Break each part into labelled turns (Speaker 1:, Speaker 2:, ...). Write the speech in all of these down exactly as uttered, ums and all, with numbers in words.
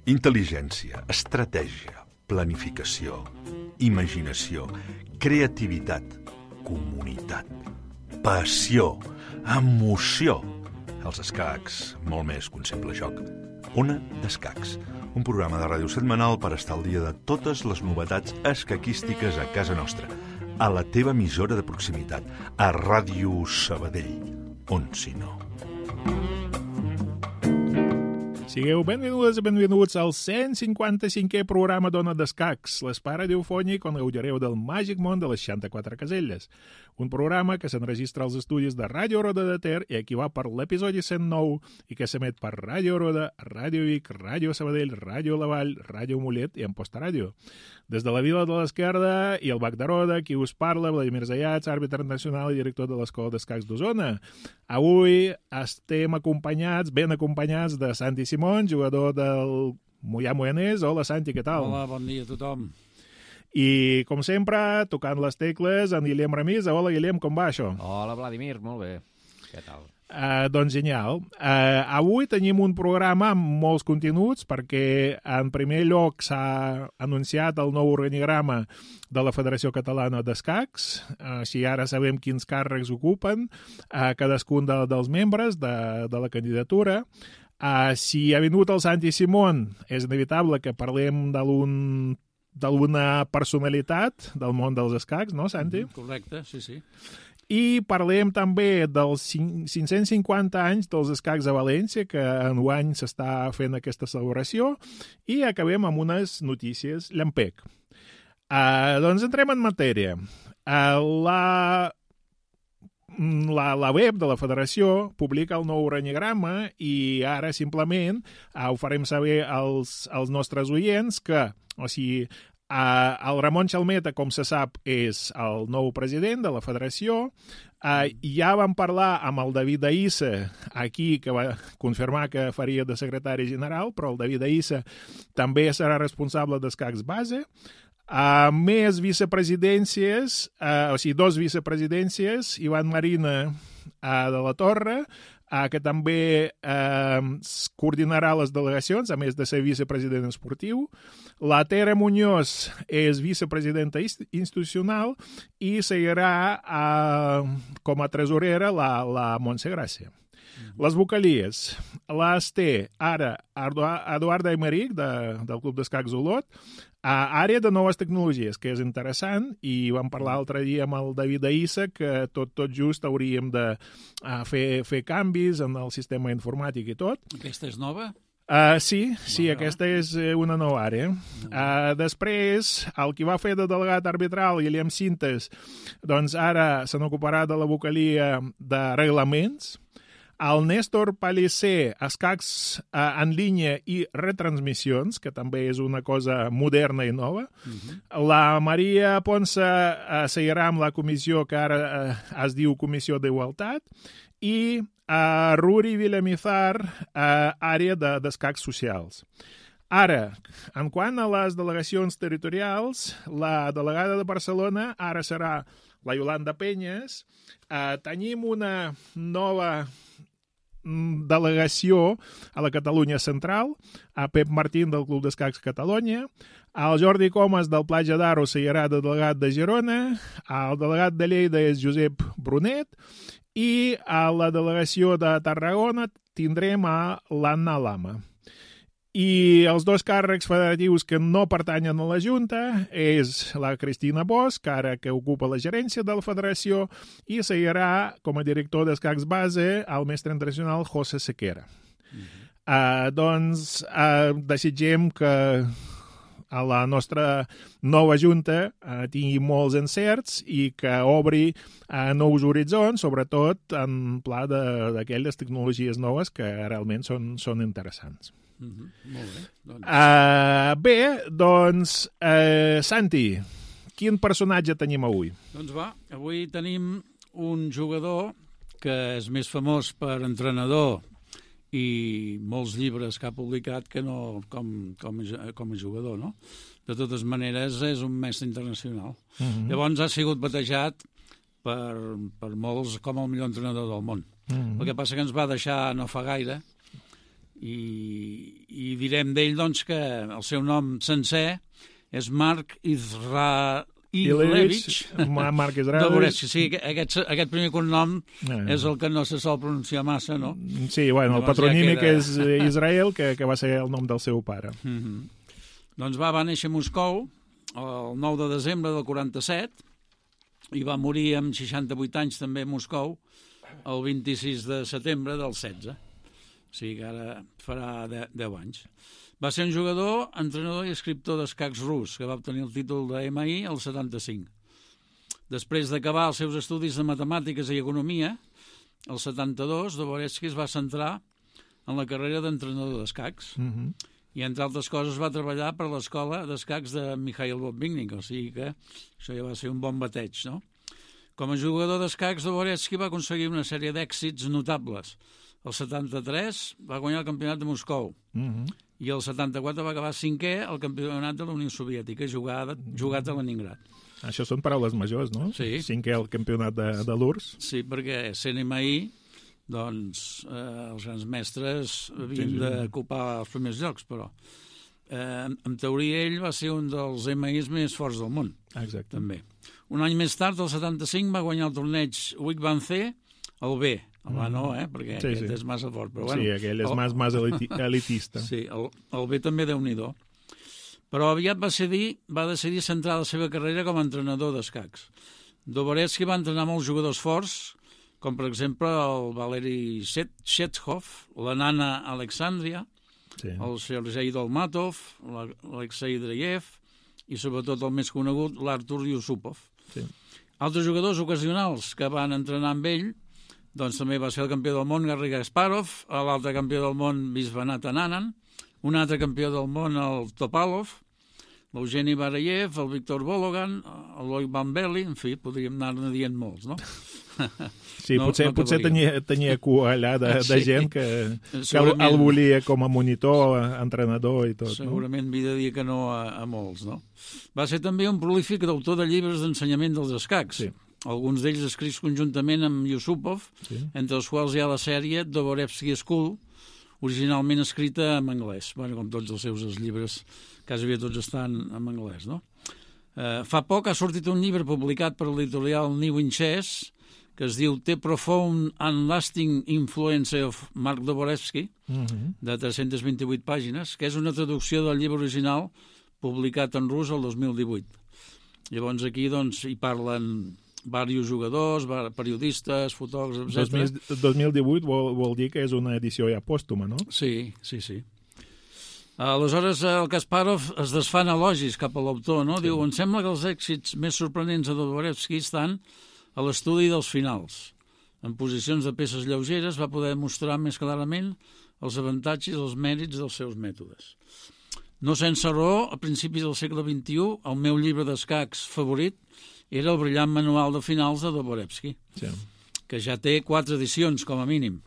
Speaker 1: Intel·ligència, estratègia, planificació, imaginació, creativitat, comunitat, passió, emoció. Els escacs, molt més que un simple joc. Ona d'Escacs, un programa de ràdio setmanal per estar al dia de totes les novetats escaquístiques a casa nostra, a la teva emissora de proximitat, a Ràdio Sabadell, on si no.
Speaker 2: Sigueu benvingudes i benvinguts al cent cinquanta-cinquè programa d'Ona d'Escacs, l'espai radiofònic on gaudireu del màgic món de les seixanta-quatre caselles. Un programa que s'enregistra als estudis de Ràdio Roda de Ter i aquí va per l'episodi cent nou i que s'emet per Ràdio Roda, Ràdio Vic, Ràdio Sabadell, Ràdio La Vall, Ràdio Mollet i Amposta Ràdio. Des de la Vila de l'Esquerda i el Bac de Roda, qui us parla, Vladimir Zayats, àrbitre nacional i director de l'Escola d'Escacs d'Osona. Avui estem acompanyats, ben acompanyats de Santi Simón, jugador del Moià Moianès. Hola, Santi, què tal?
Speaker 3: Hola, bon dia a tothom.
Speaker 2: I, com sempre, tocant les tecles, en Guillem Ramís. Hola, Guillem, com va això?
Speaker 4: Hola, Vladimir, molt bé. Què tal?
Speaker 2: Uh, doncs genial. Uh, avui tenim un programa amb molts continguts perquè, en primer lloc, s'ha anunciat el nou organigrama de la Federació Catalana d'Escacs. Uh, si ara sabem quins càrrecs ocupen uh, cadascun de, dels membres de, de la candidatura. Uh, si ha vingut el Santi Simón, és inevitable que parlem d'algun d'alguna personalitat del món dels escacs, no, Santi?
Speaker 3: Mm, correcte, sí, sí.
Speaker 2: I parlem també dels cinc-cents cinquanta anys dels escacs a València, que enguany s'està fent aquesta celebració, i acabem amb unes notícies llampec. Uh, doncs entrem en matèria. Uh, la... La, la web de la federació publica el nou organigrama i ara simplement uh, ho farem saber als, als nostres oients que, o sigui, uh, el Ramon Xalmeta, com se sap, és el nou president de la federació. Uh, ja vam parlar amb el David Aïssa aquí, que va confirmar que faria de secretari general, però el David Aïssa també serà responsable d'Escacs Base. Uh, més vicepresidències, uh, o sigui, dos vicepresidències, Ivan Marina uh, de la Torre, uh, que també uh, coordinarà les delegacions, a més de ser vicepresident esportiu. La Tere Muñoz és vicepresidenta institucional i seguirà uh, com a tresorera la, la Montse Gràcia. Les vocalies. Les té ara Eduarda Aymeric, de, del Club d'Escacs Olot, a àrea de noves tecnologies, que és interessant, i vam parlar l'altre dia amb el David Aïssa que tot, tot just hauríem de uh, fer, fer canvis en el sistema informàtic i tot.
Speaker 3: Aquesta és nova?
Speaker 2: Uh, sí, sí, no, aquesta és una nova àrea. Uh, després, el qui va fer de delegat arbitral, Guillem Cintes, doncs ara se n'ocuparà de la vocalia de reglaments. El Néstor Pallicer, escacs eh, en línia i retransmissions, que també és una cosa moderna i nova. Uh-huh. La Maria Ponce eh, seguirà amb la comissió que ara eh, es diu Comissió d'Igualtat. I eh, Ruri Villamizar, eh, àrea de, d'escacs socials. Ara, en quant a les delegacions territorials, la delegada de Barcelona ara serà la Yolanda Penyes. Eh, tenim una nova delegació a la Catalunya Central, a Pep Martín del Club d'Escacs Catalunya, el Jordi Comas del Platja d'Aro seguirà de delegat de Girona, el delegat de Lleida és Josep Brunet i a la delegació de Tarragona tindrem a l'Anna Lama. I els dos càrrecs federatius que no pertanyen a la Junta és la Cristina Bosch, ara que ocupa la gerència de la federació, i seguirà com a director d'Escacs Base el mestre internacional José Sequera. Uh-huh. Uh, doncs uh, desitgem que a la nostra nova Junta uh, tingui molts encerts i que obri uh, nous horitzons, sobretot en pla d'aquelles tecnologies noves que realment són, són interessants.
Speaker 3: Uh-huh. Molt bé. Doncs...
Speaker 2: Uh, bé, doncs, uh, Santi, quin personatge tenim avui?
Speaker 3: Doncs va, avui tenim un jugador que és més famós per entrenador i molts llibres que ha publicat que no com, com, a, com a jugador, no? De totes maneres, és un mestre internacional. Uh-huh. Llavors ha sigut batejat per, per molts com el millor entrenador del món. Uh-huh. El que passa que ens va deixar no fa gaire i, i direm d'ell doncs, que el seu nom sencer és Mark Izra... Ilevich,
Speaker 2: Mark Izraelevich.
Speaker 3: Sí, aquest, aquest primer cognom
Speaker 2: eh.
Speaker 3: és el que no se sol pronunciar massa, no?
Speaker 2: Sí, bueno, el
Speaker 3: Llavors
Speaker 2: patronímic
Speaker 3: ja queda...
Speaker 2: és Israel, que, que va ser el nom del seu pare.
Speaker 3: Mm-hmm. Doncs va, va néixer a Moscou el nou de desembre del quaranta-set i va morir amb seixanta-vuit anys també a Moscou el vint-i-sis de setembre del setze. O sigui que ara farà deu anys. Va ser un jugador, entrenador i escriptor d'escacs rus, que va obtenir el títol de ema i al setanta-cinc. Després d'acabar els seus estudis de matemàtiques i economia, el setanta-dos, Dvoretsky es va centrar en la carrera d'entrenador d'escacs. Mm-hmm. I, entre altres coses, va treballar per l'escola d'escacs de Mikhail Botvinnik, o sigui que això ja va ser un bon bateig, no? Com a jugador d'escacs, Dvoretsky va aconseguir una sèrie d'èxits notables. El setanta-tres va guanyar el campionat de Moscou. Mm-hmm. I el setanta-quatre va acabar cinquè al campionat de la Unió Soviètica, jugat, jugat a Leningrad.
Speaker 2: Això són paraules majors, no?
Speaker 3: Sí.
Speaker 2: Cinquè al campionat de, de l'U R S.
Speaker 3: Sí, perquè sent ema i, doncs, eh, els grans mestres havien sí, sí. d'ocupar els primers llocs, però eh, en teoria ell va ser un dels ema is més forts del món.
Speaker 2: Exacte. També.
Speaker 3: Un any més tard, el setanta-cinc, va guanyar el torneig Wigban C, el B. El A no, eh? Perquè sí, aquest sí. és massa fort. Però, bueno,
Speaker 2: sí, aquell és el... més, més eliti elitista.
Speaker 3: Sí, el, el B també déu-n'hi-do. Però aviat va decidir, va decidir centrar la seva carrera com a entrenador d'escacs. Dvoretsky va entrenar molts jugadors forts, com per exemple el Valeri Chekhov, la Nana Alexandria, sí. el Sergei Dolmatov, l'Alexei Dreyev i sobretot el més conegut, l'Artur Yusupov. Sí. Altres jugadors ocasionals que van entrenar amb ell doncs també va ser el campió del món Garry Kasparov, l'altre campió del món Viswanathan Anand, un altre campió del món el Topalov, l'Eugeni Barayev, el Víctor Bologan, l'Oi Van Belli, en fi, podríem anar-ne dient molts, no?
Speaker 2: Sí, no, potser, no potser tenia, tenia cua allà de, de sí. gent que, que el, el volia com a monitor, entrenador i tot.
Speaker 3: Segurament no? Havia de dir que no a, a molts, no? Va ser també un prolífic autor de llibres d'ensenyament dels escacs. Sí. Alguns d'ells escrits conjuntament amb Yusupov, sí. entre els quals hi ha la sèrie Dvoretsky School, originalment escrita en anglès. Bueno, com tots els seus llibres, quasi tots estan en anglès, no? Eh, fa poc ha sortit un llibre publicat per l'editorial New in Chess, que es diu The Profound and Lasting Influence of Mark Dvoretsky, uh-huh. de tres-centes vint-i-vuit pàgines, que és una traducció del llibre original publicat en rus el dos mil divuit. Llavors aquí doncs, hi parlen diversos jugadors, periodistes, fotògrafs, etcètera.
Speaker 2: dos mil divuit vol, vol dir que és una edició ja pòstuma, no?
Speaker 3: Sí, sí, sí. Aleshores, el Kasparov es desfà en elogis cap a l'autor, no? Sí. Diu, em sembla que els èxits més sorprenents de Dvoretsky estan a l'estudi dels finals. En posicions de peces lleugeres va poder mostrar més clarament els avantatges i els mèrits dels seus mètodes. No sense raó, a principis del segle vint-i-u, el meu llibre d'escacs favorit era el brillant manual de finals de Dvoretsky, sí. que ja té quatre edicions, com a mínim.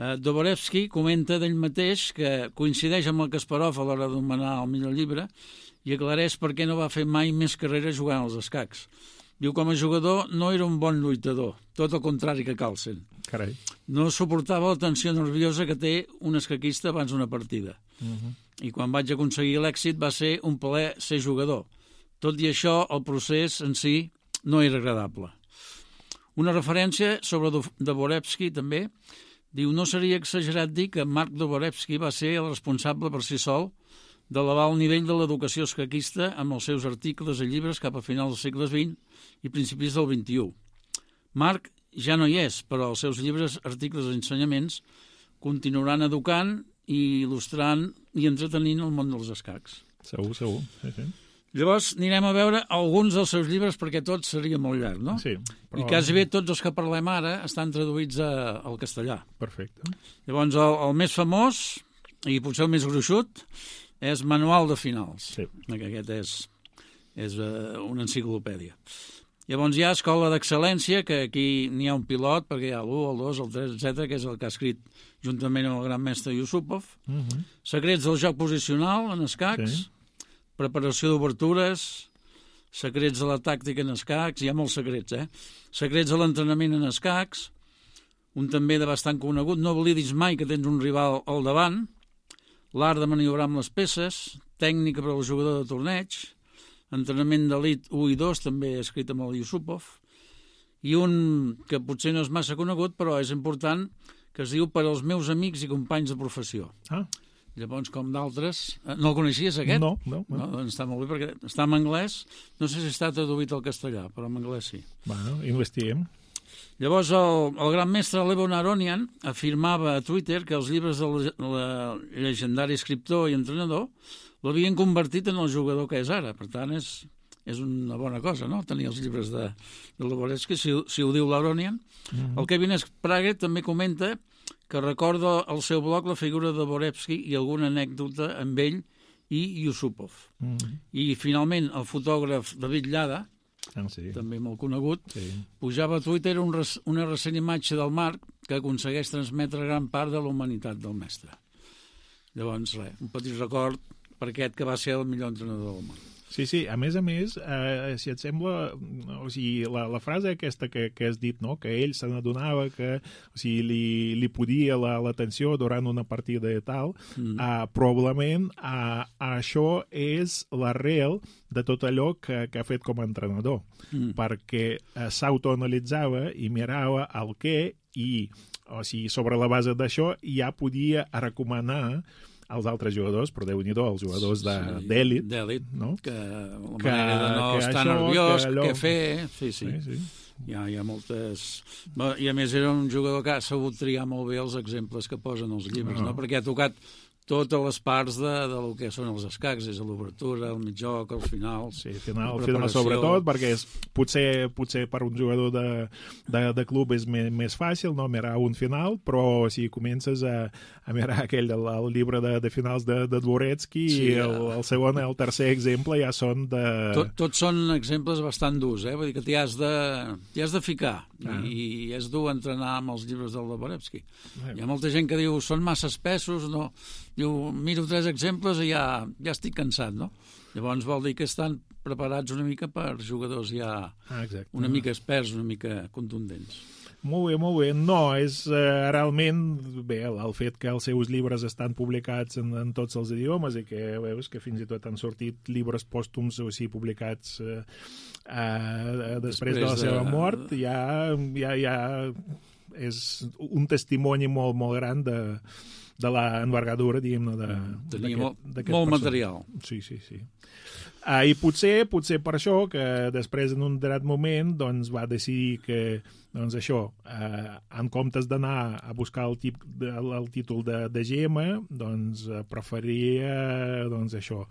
Speaker 3: Uh, Dvoretsky comenta d'ell mateix que coincideix amb el Kasparov a l'hora d'anomenar el millor llibre i aclareix per què no va fer mai més carrera jugant als escacs. Diu, com a jugador no era un bon lluitador, tot el contrari que Carlsen.
Speaker 2: Carai.
Speaker 3: No suportava la tensió nerviosa que té un escaquista abans d'una partida. Uh-huh. I quan vaig aconseguir l'èxit va ser un plaer ser jugador. Tot i això, el procés en si no era agradable. Una referència sobre Dvoretsky també diu, no seria exagerat dir que Mark Dvoretsky va ser el responsable per si sol d'elevar el nivell de l'educació escaquista amb els seus articles i llibres cap a finals del segle vint i principis del vint-i-u. Mark ja no hi és, però els seus llibres, articles i ensenyaments continuaran educant i il·lustrant i entretenint el món dels escacs.
Speaker 2: Segur, segur. Sí, sí.
Speaker 3: Llavors anirem a veure alguns dels seus llibres perquè tot seria molt llarg, no?
Speaker 2: Sí.
Speaker 3: Però... I quasi bé tots els que parlem ara estan traduïts a, al castellà.
Speaker 2: Perfecte.
Speaker 3: Llavors el, el més famós, i potser el més gruixut, és Manual de finals.
Speaker 2: Sí.
Speaker 3: Aquest és, és uh, una enciclopèdia. Llavors hi ha escola d'excel·lència, que aquí n'hi ha un pilot, perquè hi ha l'u, el dos, el tres, etcètera, que és el que ha escrit juntament amb el gran mestre Yusupov. Uh -huh. Secrets del joc posicional en escacs, sí. Preparació d'obertures, secrets de la tàctica en escacs, hi ha molts secrets, eh? Secrets de l'entrenament en escacs, un també de bastant conegut, no oblidis mai que tens un rival al davant, l'art de maniobrar amb les peces, tècnica per al jugador de torneig, entrenament d'elit u i dos, també escrit amb el Yusupov, i un que potser no és massa conegut, però és important, que es diu Per als meus amics i companys de professió. Ah. Llavors, com d'altres... No el coneixies, aquest?
Speaker 2: No, no. no.
Speaker 3: no doncs està molt bé, perquè està en anglès. No sé si està traduït al castellà, però en anglès sí.
Speaker 2: Bueno, investiguem.
Speaker 3: Llavors, el, el gran mestre Levon Aronian afirmava a Twitter que els llibres del de llegendari escriptor i entrenador l'havien convertit en el jugador que és ara. Per tant, és, és una bona cosa, no?, tenir els llibres de, de Lvoretsky, si, si ho diu l'Aronian. Mm-hmm. El Kevin Sprague també comenta que recorda al seu blog la figura de Dvoretsky i alguna anècdota amb ell i Yusupov. Mm-hmm. I, finalment, el fotògraf David Llada, ah, sí. també molt conegut, sí. pujava a Twitter un res, una recent imatge del Marc que aconsegueix transmetre gran part de la humanitat del mestre. Llavors, res, un petit record per aquest que va ser el millor entrenador del món.
Speaker 2: Sí, sí, a més a més, eh, si et sembla, o sigui, la, la frase aquesta que, que has dit, no?, que ell se n'adonava que, o sigui, li, li podia l'atenció durant una partida i tal, mm. eh, probablement eh, això és l'arrel de tot allò que, que ha fet com a entrenador, mm. perquè eh, s'autoanalitzava i mirava el què i, o sigui, sobre la base d'això ja podia recomanar als altres jugadors, però Déu-n'hi-do, els jugadors d'èlit,
Speaker 3: sí, d'èlit,
Speaker 2: no?
Speaker 3: que la que, manera de no estar això, nerviós, allò... què fer, sí, sí. sí, sí. Hi, ha, hi ha moltes... I a més era un jugador que ha sabut triar molt bé els exemples que posen els llibres, no? no? Perquè ha tocat totes les parts de, de lo que són els escacs, és l'obertura, el mitjoc, els finals... Sí, final, final
Speaker 2: sobretot, perquè és, potser, potser per un jugador de, de, de club és més, més fàcil, no?, mirar un final, però si comences a, a mirar aquell, el, el llibre de, de finals de, de Dvoretsky, sí, el, el segon i el tercer exemple ja són de...
Speaker 3: Tot, tots són exemples bastant durs, eh? Vull dir que t'hi has de, t'hi has de ficar, ah. i és dur entrenar amb els llibres del Dvoretsky. Ah. Hi ha molta gent que diu, són massa espessos, no... Diu, miro tres exemples i ja, ja estic cansat, no? Llavors vol dir que estan preparats una mica per jugadors ja ah, una mica experts, una mica contundents.
Speaker 2: Molt bé, molt bé. No, és uh, realment bé el, el fet que els seus llibres estan publicats en, en tots els idiomes i que veus que fins i tot han sortit llibres pòstums o sigui, publicats uh, uh, després, després de la seva de... mort, ja, ja, ja és un testimoni molt, molt gran de de l'envergadura, diguem-ne,
Speaker 3: tenia molt, molt material.
Speaker 2: Sí, sí, sí. Uh, I potser, potser per això que després en un determinat moment doncs, va decidir que doncs això, eh, en comptes d'anar a buscar el, tip, de, el títol de, de G M, doncs preferia doncs, això,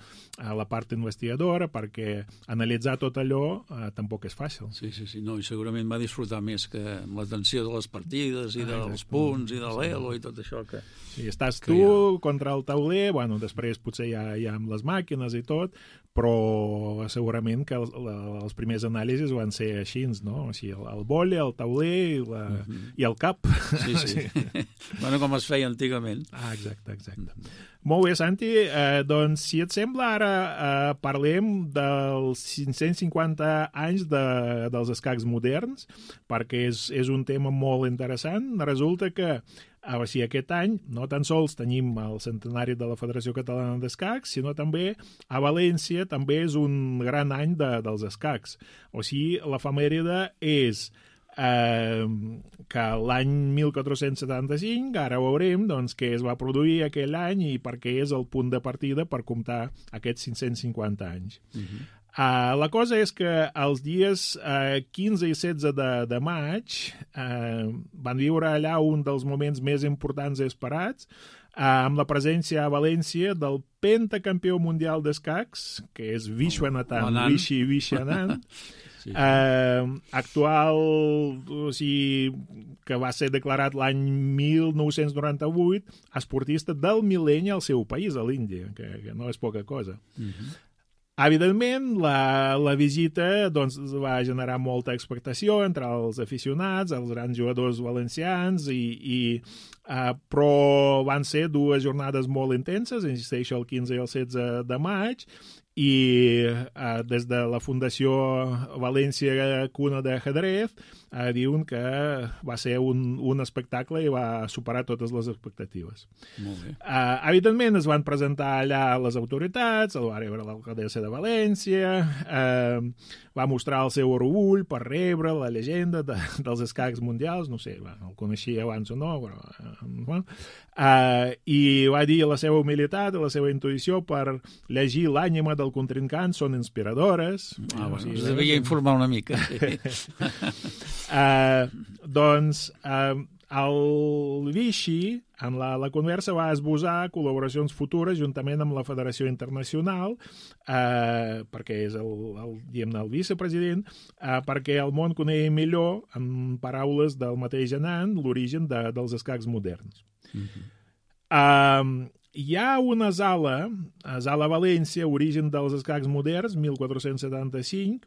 Speaker 2: a la part investigadora, perquè analitzar tot allò eh, tampoc és fàcil.
Speaker 3: Sí, sí, sí, no, i segurament va disfrutar més que amb l'atenció de les partides i ah, dels exacte. punts i de l'elo i tot això que...
Speaker 2: Sí, estàs tu ha... contra el tauler, bueno, després potser ja, ja amb les màquines i tot, però segurament que el, la, els primers anàlisis van ser així, no? O sigui, el, el vòlei, el tauler i, la, uh-huh. i el cap.
Speaker 3: Sí, sí. sí. Bueno, com es feia antigament.
Speaker 2: Ah, exacte, exacte. Uh-huh. Molt bé, Santi. Eh, doncs, si et sembla, ara eh, parlem dels cinc-cents cinquanta anys de, dels escacs moderns, perquè és, és un tema molt interessant. Resulta que o sigui, aquest any no tan sols tenim el centenari de la Federació Catalana d'Escacs, sinó també a València també és un gran any de, dels escacs. O sigui, l'efemèride és eh, que l'any mil quatre-cents setanta-cinc, ara veurem doncs, què es va produir aquell any i per què és el punt de partida per comptar aquests cinc-cents cinquanta anys. Uh-huh. Uh, la cosa és que els dies uh, quinze i setze de, de maig uh, van viure allà un dels moments més importants i esperats, uh, amb la presència a València del pentacampió mundial d'escacs, que és Vishwanathan oh, Vishy Vishwanathan, sí. uh, actual, o sigui, que va ser declarat l'any mil nou-cents noranta-vuit esportista del mil·lenni al seu país, a l'Índia, que, que no és poca cosa. Uh-huh. Evidentment, la, la visita doncs, va generar molta expectació entre els aficionats, els grans jugadors valencians, i, i, uh, però van ser dues jornades molt intenses, insisteixo, el quinze i el setze de maig, i uh, des de la Fundació València Cuna de Ajedrez uh, diuen que va ser un, un espectacle i va superar totes les expectatives.
Speaker 3: Molt bé.
Speaker 2: Uh, evidentment es van presentar allà les autoritats, el va rebre l'alcaldessa de València, uh, va mostrar el seu orgull per rebre la llegenda de, dels escacs mundials, no sé, va, el coneixia abans o no, però, uh, uh, i va dir la seva humilitat i la seva intuïció per llegir l'ànima del contrincant són inspiradores.
Speaker 3: Ah, bueno,
Speaker 2: o sigui,
Speaker 3: us devia informar una mica.
Speaker 2: uh, doncs uh, el Vichy en la, la conversa va esbosar col·laboracions futures juntament amb la Federació Internacional, eh, perquè és el, el, diguem-ne, el vicepresident, eh, perquè el món conegui millor, en paraules del mateix Anand, l'origen de, dels escacs moderns. Mm-hmm. eh, Hi ha una sala, a Sala València, origen dels escacs moderns, mil quatre-cents setanta-cinc,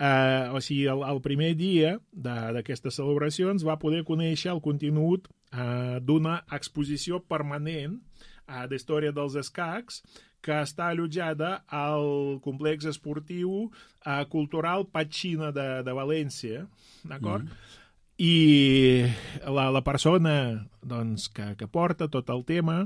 Speaker 2: eh, o sigui, el, el primer dia d'aquestes celebracions va poder conèixer el contingut eh, d'una exposició permanent eh, d'història dels escacs que està allotjada al complex esportiu eh, cultural Patxina de, de València, d'acord? Mm. I la, la persona doncs, que, que porta tot el tema,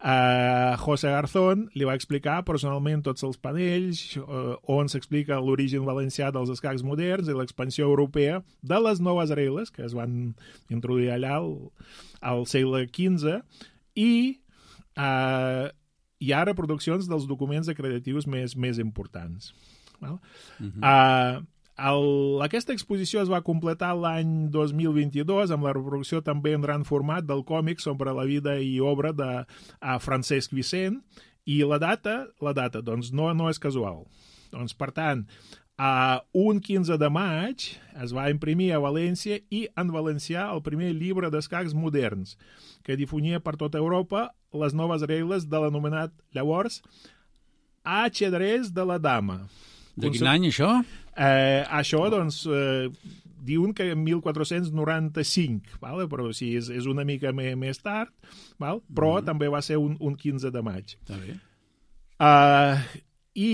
Speaker 2: eh, José Garzón, li va explicar personalment tots els panells eh, on s'explica l'origen valencià dels escacs moderns i l'expansió europea de les noves regles que es van introduir allà al, al segle quinze, i eh, hi ha reproduccions dels documents acreditius més, més importants. Val? Uh-huh. Eh, El, aquesta exposició es va completar l'any dos mil vint-i-dos amb la reproducció també en gran format del còmic sobre la vida i obra de uh, Francesc Vicent, i la data, la data doncs no, no és casual. Doncs, per tant, uh, un quinze de maig es va imprimir a València i en valencià el primer llibre d'escacs moderns, que difonia per tota Europa les noves regles de l'anomenat llavors Ajedrez de la Dama.
Speaker 3: De quin any, això?
Speaker 2: Eh, això, doncs, eh, diuen que en mil quatre-cents noranta-cinc, vale? Però sí, és, és una mica me, més tard, val? Però mm-hmm. també va ser un, un quinze de maig.
Speaker 3: Està bé.
Speaker 2: Uh, I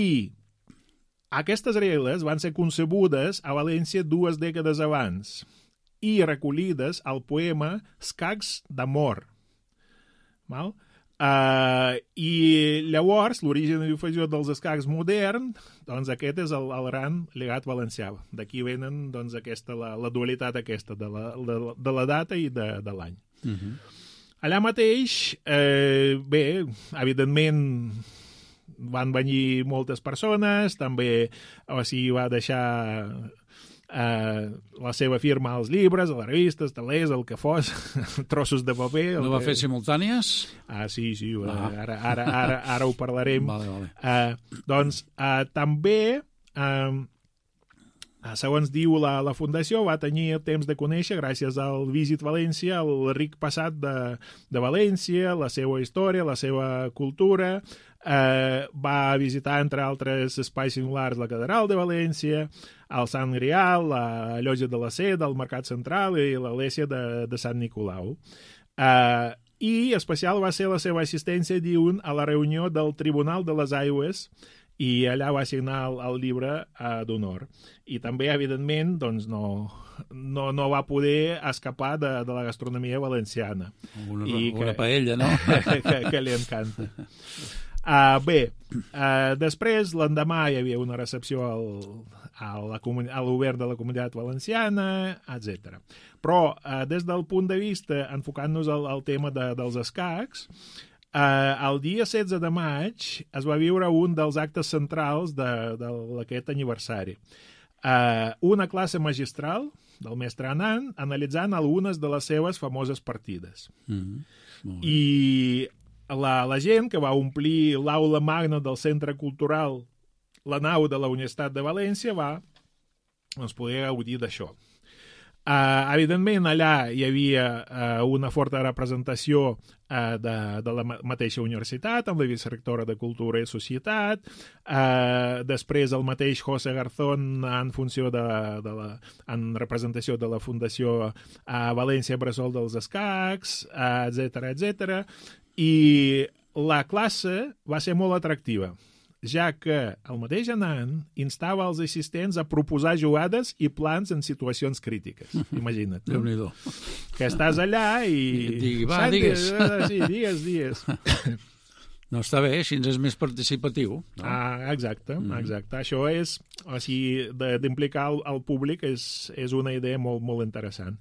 Speaker 2: aquestes regles van ser concebudes a València dues dècades abans i recollides al poema Escacs d'amor. Val? Uh, I llavors l'origen i difusió dels escacs moderns, doncs aquest és el, el gran llegat valencià. D'aquí venen doncs, aquesta, la, la dualitat aquesta de la, de, de la data i de, de l'any. Uh-huh. Allà mateix, eh, bé, evidentment van venir moltes persones, també o sigui, va deixar Uh, la seva firma als llibres, a les revistes, talers, el que fos, trossos de paper.
Speaker 3: No va
Speaker 2: que...
Speaker 3: fer simultànies?
Speaker 2: Ah, sí, sí,
Speaker 3: ah.
Speaker 2: ara, ara, ara, ara ho parlarem.
Speaker 3: Vale, vale.
Speaker 2: Uh, doncs uh, també, uh, segons diu la, la Fundació, va tenir temps de conèixer, gràcies al Visit València, el ric passat de, de València, la seva història, la seva cultura. Uh, va visitar, entre altres espais singulars, la Catedral de València, el Sant Grial, la Llotja de la Seda, el Mercat Central i l'església de, de Sant Nicolau. Uh, I especial va ser la seva assistència, diuen, a la reunió del Tribunal de les Aigües, i allà va signar el, el llibre uh, d'honor. I també, evidentment, doncs no, no, no va poder escapar de, de la gastronomia valenciana.
Speaker 3: Una,
Speaker 2: I
Speaker 3: una
Speaker 2: que,
Speaker 3: paella, no?
Speaker 2: que, que, que li encanta. Uh, bé, uh, després, l'endemà, hi havia una recepció al, a, la, a l'obert de la Comunitat Valenciana, etcètera. Però, uh, des del punt de vista, enfocant-nos al, al tema de, dels escacs, uh, el dia setze de maig es va viure un dels actes centrals d'aquest aniversari. Uh, una classe magistral del mestre Anand analitzant algunes de les seves famoses partides. Mm-hmm. I La, la gent que va omplir l'aula magna del Centre Cultural, la nau de la Universitat de València, va doncs, poder gaudir d'això. Uh, evidentment, allà hi havia uh, una forta representació uh, de, de la mateixa universitat, amb la vicerectora de Cultura i Societat, uh, després el mateix José Garzón en funció de, de la, en representació de la Fundació uh, València Bressol dels Escacs, uh, etcètera, etcètera, i la classe va ser molt atractiva, ja que el mateix Anand instava els assistents a proposar jugades i plans en situacions crítiques. Imagina't. No?
Speaker 3: Déu-n'hi-do.
Speaker 2: Que estàs allà i...
Speaker 3: I digui, va,
Speaker 2: Santi,
Speaker 3: digues.
Speaker 2: Sí, digues, digues.
Speaker 3: No està bé, així és més participatiu. No?
Speaker 2: Ah, exacte, exacte. Això és, o sigui, d'implicar el, el públic és, és una idea molt, molt interessant.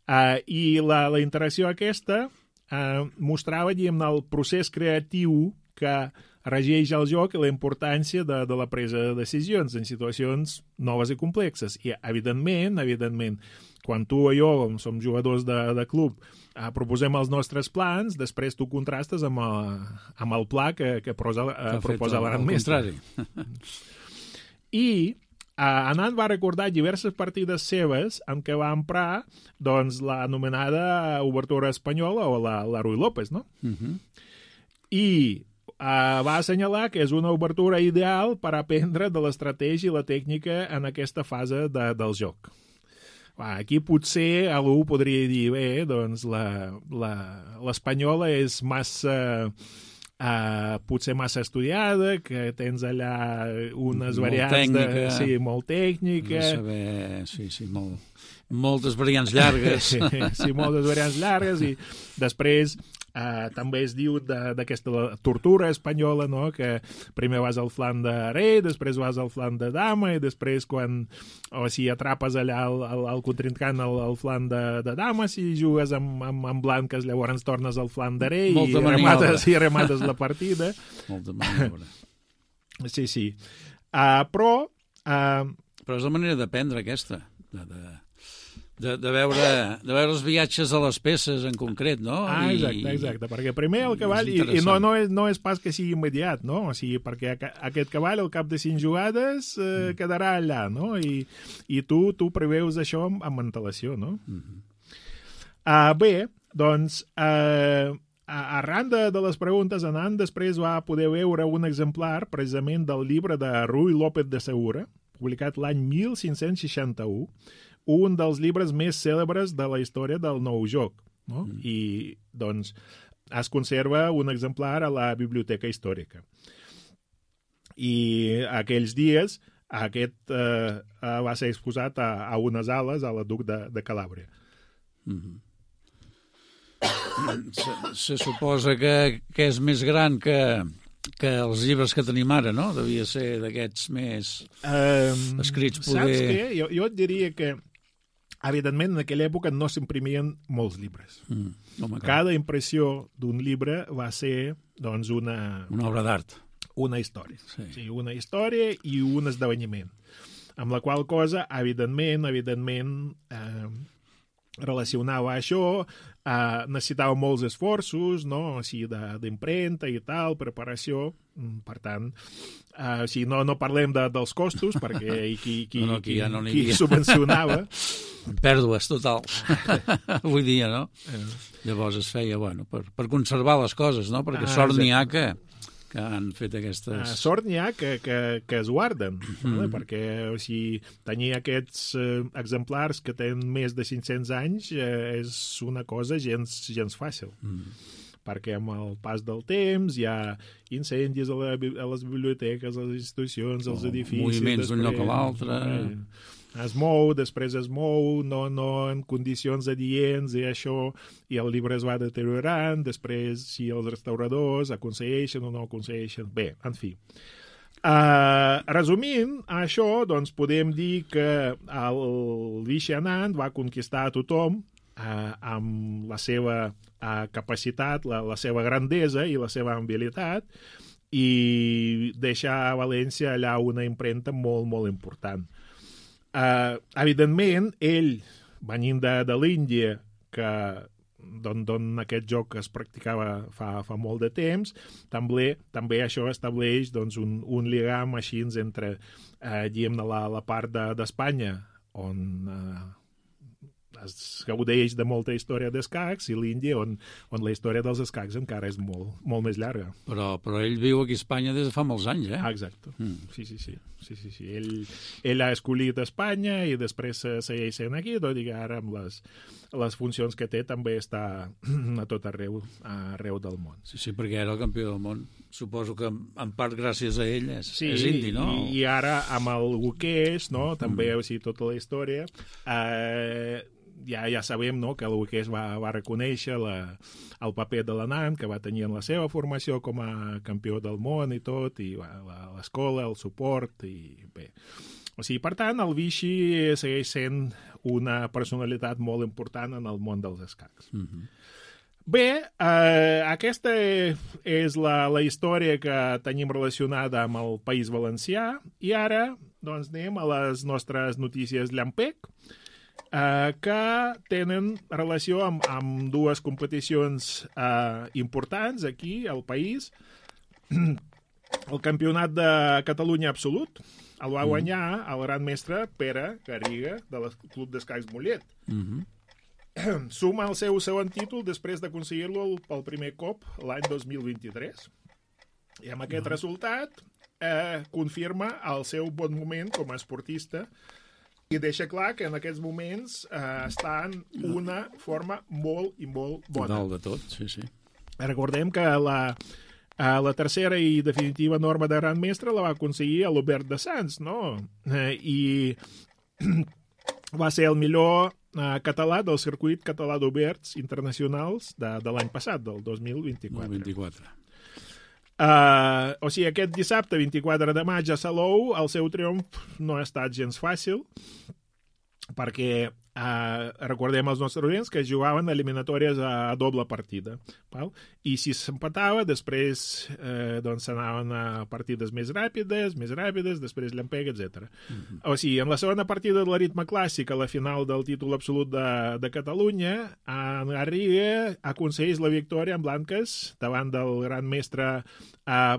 Speaker 2: Uh, I la, la interacció aquesta uh, mostrava, diguem, el procés creatiu que regeix el joc i la importància de, de la presa de decisions en situacions noves i complexes. I, evidentment, evidentment, quan tu o jo, com som jugadors de, de club, eh, proposem els nostres plans, després tu contrastes amb el, amb el pla que, que, prosa, eh, que proposa el gran mestre. I eh, Anand va recordar diverses partides seves en què va emprar doncs, l'anomenada obertura espanyola o la, la Ruy López, no?
Speaker 3: Uh-huh.
Speaker 2: I Uh, va assenyalar que és una obertura ideal per aprendre de l'estratègia i la tècnica en aquesta fase de, del joc. Va, aquí potser algú podria dir, bé, doncs l'espanyola és massa... Uh, potser massa estudiada, que tens allà unes
Speaker 3: molt
Speaker 2: variants
Speaker 3: tècnica,
Speaker 2: de... Sí, molt tècnica.
Speaker 3: De saber, sí, sí, molt, moltes variants llargues.
Speaker 2: Sí, sí, moltes variants llargues i després uh, també es diu d'aquesta tortura espanyola, no? Que primer vas al flanc de rei, després vas al flanc de dama i després quan, o si atrapes allà el, el, el contrincant al, al flanc de, de dama, si jugues amb, amb, amb blanques llavors tornes al flanc de rei i remates, i remates la partida.
Speaker 3: Molta maniobra.
Speaker 2: Sí, sí. Uh, però... Uh,
Speaker 3: però és la manera d'aprendre aquesta, de, de, de, de, veure, de veure els viatges de les peces en concret, no?
Speaker 2: Ah, exacte, exacte, perquè primer el cavall, i, i no, no, és, no és pas que sigui immediat, no? O sigui, perquè aquest cavall al cap de cinc jugades eh, mm. quedarà allà, no? I, i tu, tu preveus això amb, amb antelació, no? Mm -hmm. uh, bé, doncs... Uh, arran de, de les preguntes, Anand després va poder veure un exemplar precisament del llibre de Ruy López de Segura, publicat l'any mil cinc-cents seixanta-u, un dels llibres més cèlebres de la història del nou joc, no? Mm. I, doncs, es conserva un exemplar a la Biblioteca Històrica. I aquells dies aquest eh, va ser exposat a, a unes ales a la Duc de, de Calàbria.
Speaker 3: Mm-hmm. Se, se suposa que, que és més gran que, que els llibres que tenim ara, no? Devia ser d'aquests més um, escrits poder...
Speaker 2: Saps què? Jo, jo et diria que, evidentment, en aquella època no s'imprimien molts llibres. Mm, home, Cada impressió d'un llibre va ser, doncs, una...
Speaker 3: Una obra d'art.
Speaker 2: Una història.
Speaker 3: Sí.
Speaker 2: Sí, una història i un esdeveniment. Amb la qual cosa, evidentment, evidentment... Eh, relacionava això, eh, necessitava molts esforços, no? O sigui, d'impremta i tal, preparació, per tant, eh, o sigui, no, no parlem de, dels costos, perquè qui, qui,
Speaker 3: no, no,
Speaker 2: qui,
Speaker 3: ja no
Speaker 2: qui subvencionava...
Speaker 3: Pèrdues totals, avui dia, no? Eh. Llavors es feia, bueno, per, per conservar les coses, no? Perquè ah, sort n'hi ha que... que han fet aquestes...
Speaker 2: Uh, sort n'hi ha que, que, que es guarden, mm. no? Perquè o sigui, tenir aquests uh, exemplars que tenen més de cinc-cents anys uh, és una cosa gens, gens fàcil. Mm. Perquè amb el pas del temps hi ha incendis a, la, a les biblioteques, a les institucions, als oh, edificis...
Speaker 3: Moviments d'un lloc a l'altre...
Speaker 2: Eh, es mou, després es mou, no, no en condicions adients i això, i el llibre es va deteriorant, després si els restauradors aconsegueixen o no aconsegueixen... Bé, en fi. Uh, resumint això, doncs podem dir que el Vishy Anand va conquistar a tothom uh, amb la seva uh, capacitat, la, la seva grandesa i la seva habilitat, i deixar a València allà una impremta molt, molt important. Uh, evidentment, ell, venint de, de l'Índia, que d'on, d'on aquest joc es practicava fa, fa molt de temps, també, també això estableix doncs, un, un lligam així entre uh, diguem, la, la part d'Espanya, de, on uh, es gaudeix de molta història d'escacs, i l'Índia, on, on la història dels escacs encara és molt, molt més llarga.
Speaker 3: Però, però ell viu aquí a Espanya des de fa molts anys, eh?
Speaker 2: Ah, exacte.
Speaker 3: Mm.
Speaker 2: Sí, sí, sí. sí, sí, sí. Ell, ell ha escollit Espanya i després segueix sent aquí, tot i que ara amb les, les funcions que té també està a tot arreu, arreu del món.
Speaker 3: Sí, sí, perquè era el campió del món. Suposo que en part gràcies a ell és,
Speaker 2: sí,
Speaker 3: és indi, no?
Speaker 2: I, i ara amb el Guqueix, no? També, mm. o sigui, tota la història... Eh, Ja, ja sabem, no?, que el Guqueix va, va reconèixer la, el paper de l'Anand, que va tenir en la seva formació com a campió del món i tot, i l'escola, el suport, i bé. O sigui, per tant, el Vichy segueix sent una personalitat molt important en el món dels escacs.
Speaker 3: Mm-hmm.
Speaker 2: Bé, eh, aquesta és la, la història que tenim relacionada amb el País Valencià, i ara, doncs, anem a les nostres notícies Llampec, Uh, que tenen relació amb, amb dues competicions uh, importants aquí al país. El Campionat de Catalunya Absolut el va guanyar el gran mestre Pere Garriga del Club d'Escacs Mollet. Mm-hmm. Suma el seu segon títol després d'aconseguir-lo pel primer cop l'any dos mil vint-i-tres. I amb aquest mm-hmm. resultat eh, confirma el seu bon moment com a esportista i deixa clar que en aquests moments eh, està en una forma molt i molt bona.
Speaker 3: Total de tot, sí, sí.
Speaker 2: Recordem que la, eh, la tercera i definitiva norma de gran mestre la va aconseguir a l'Obert de Sants, no? Eh, I va ser el millor eh, català del circuit català d'oberts internacionals de, de l'any passat, del dos mil vint-i-quatre.
Speaker 3: vint-i-quatre.
Speaker 2: Uh, o sigui, aquest dissabte, vint-i-quatre de maig, a Salou, el seu triomf no ha estat gens fàcil, perquè uh, recordem els nostres oients que jugaven eliminatòries a, a doble partida. Val? I si s'empatava, després eh, doncs s'anaven a partides més ràpides, més ràpides, després llampec, etcètera. Mm-hmm. O sigui, en la segona partida de l'aritme clàssic, a la final del títol absolut de, de Catalunya, en Garriga aconsegueix la victòria en blanques davant del gran mestre eh,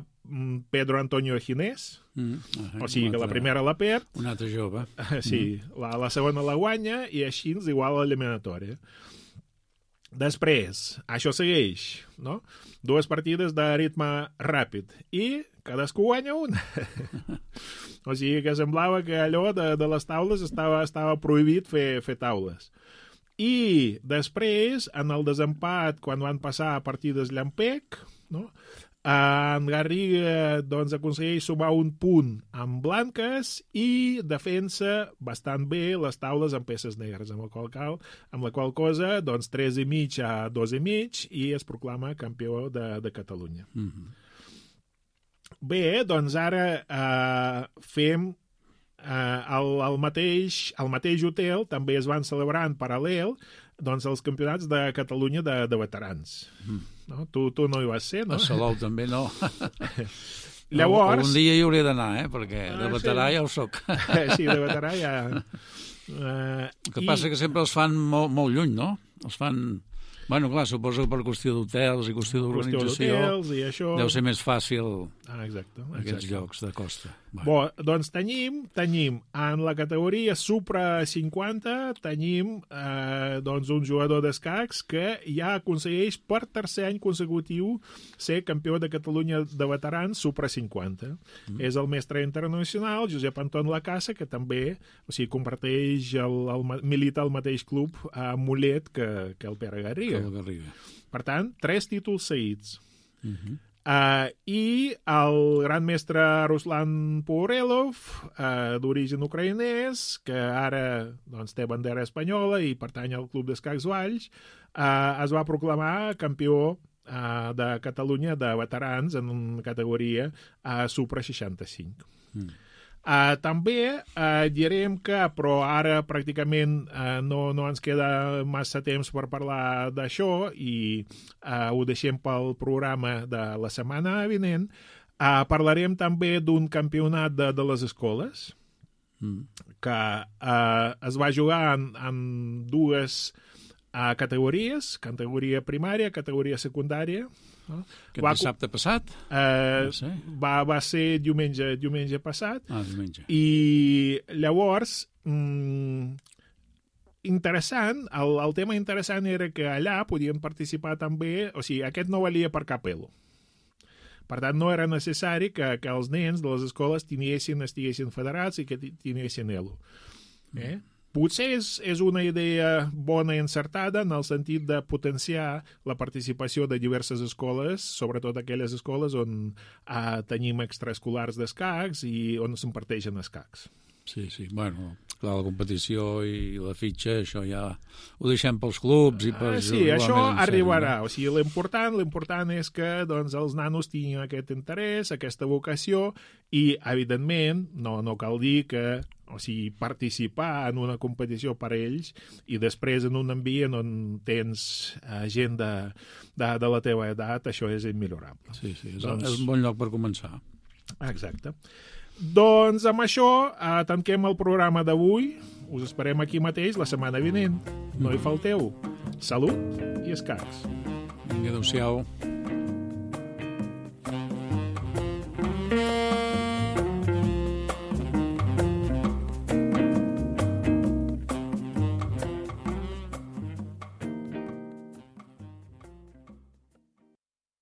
Speaker 2: Pedro Antonio Ginés. Mm, uh, o sigui que la primera la perd.
Speaker 3: Un altre jove.
Speaker 2: Sí, mm. la, la segona la guanya i així ens igual a l'eliminatòria. Després, això segueix, no? Dues partides de ritme ràpid i cadascú guanya una. O sigui que semblava que allò de, de les taules estava, estava prohibit fer, fer taules. I després, en el desempat, quan van passar a partides llampec, no? En Garriga doncs, aconsegueix sumar un punt amb blanques i defensa bastant bé les taules amb peces negres, amb la qual, cal, amb la qual cosa doncs, tres i mig a dos i mig i es proclama campió de, de Catalunya. Mm-hmm. Bé, doncs ara eh, fem eh, el, el, mateix, el mateix hotel, també es van celebrar en paral·lel doncs, els campionats de Catalunya de, de veterans. Mm. No? Tu, tu no hi vas ser, no?
Speaker 3: A Salou també no.
Speaker 2: Llavors...
Speaker 3: Un dia hi hauria d'anar, eh? Perquè de ah, veterà sí. ja ho soc.
Speaker 2: Sí, de veterà ja... Uh,
Speaker 3: El que
Speaker 2: i...
Speaker 3: passa que sempre els fan molt, molt lluny, no? Els fan... Bueno, clar, suposo que per qüestió d'hotels i qüestió d'organització
Speaker 2: i això...
Speaker 3: deu ser més fàcil
Speaker 2: ah, exacte,
Speaker 3: aquests
Speaker 2: exacte.
Speaker 3: llocs de costa.
Speaker 2: Bueno. Bo, doncs tenim, tenim en la categoria Supra cinquanta tenim eh, doncs un jugador d'escacs que ja aconsegueix per tercer any consecutiu ser campió de Catalunya de veterans Supra cinquanta. Mm. És el mestre internacional Josep Anton Lacassa, que també o sigui, comparteix el, el, milita al mateix club a Mollet que, que el Pere Garriga.
Speaker 3: Garriga.
Speaker 2: Per tant, tres títols seguits.
Speaker 3: Uh-huh.
Speaker 2: uh, I el gran mestre Ruslan Pourelov, uh, d'origen ucraïnès, que ara doncs, té bandera espanyola i pertany al Club d'Escacs Valls, uh, es va proclamar campió uh, de Catalunya de veterans en una categoria uh, Supra seixanta-cinc. Mm. Uh, també uh, direm que, però ara pràcticament uh, no, no ens queda massa temps per parlar d'això i uh, ho deixem pel programa de la setmana vinent, uh, parlarem també d'un campionat de, de les escoles mm. que uh, es va jugar en, en dues uh, categories, categoria primària, categoria secundària.
Speaker 3: No? Aquest va, dissabte passat?
Speaker 2: Eh, no va, va ser diumenge, diumenge passat.
Speaker 3: Ah, diumenge.
Speaker 2: I llavors, mm, interessant, el, el tema interessant era que allà podien participar també, o sigui, aquest no valia per cap elo. Per tant, no era necessari que, que els nens de les escoles tinguessin, estiguessin federats i que tinguessin elo. Eh? Potser és, és una idea bona i encertada en el sentit de potenciar la participació de diverses escoles, sobretot aquelles escoles on eh, tenim extraescolars d'escacs i on s'imparteixen escacs.
Speaker 3: Sí, sí, bueno, clar, la competició i la fitxa, això ja ho deixem pels clubs i per...
Speaker 2: Ah, sí, això arribarà. No? O sigui, l'important, l'important és que doncs, els nanos tinguin aquest interès, aquesta vocació i, evidentment, no, no cal dir que o sigui, participar en una competició per a ells i després en un ambient on tens uh, gent de, de, de la teva edat, això és immillorable.
Speaker 3: Sí, sí, és,
Speaker 2: doncs...
Speaker 3: és un bon lloc per començar.
Speaker 2: Exacte. Doncs amb això uh, tanquem el programa d'avui. Us esperem aquí mateix la setmana vinent. No hi falteu. Salut i escacs.
Speaker 3: Vinga, adéu-siau.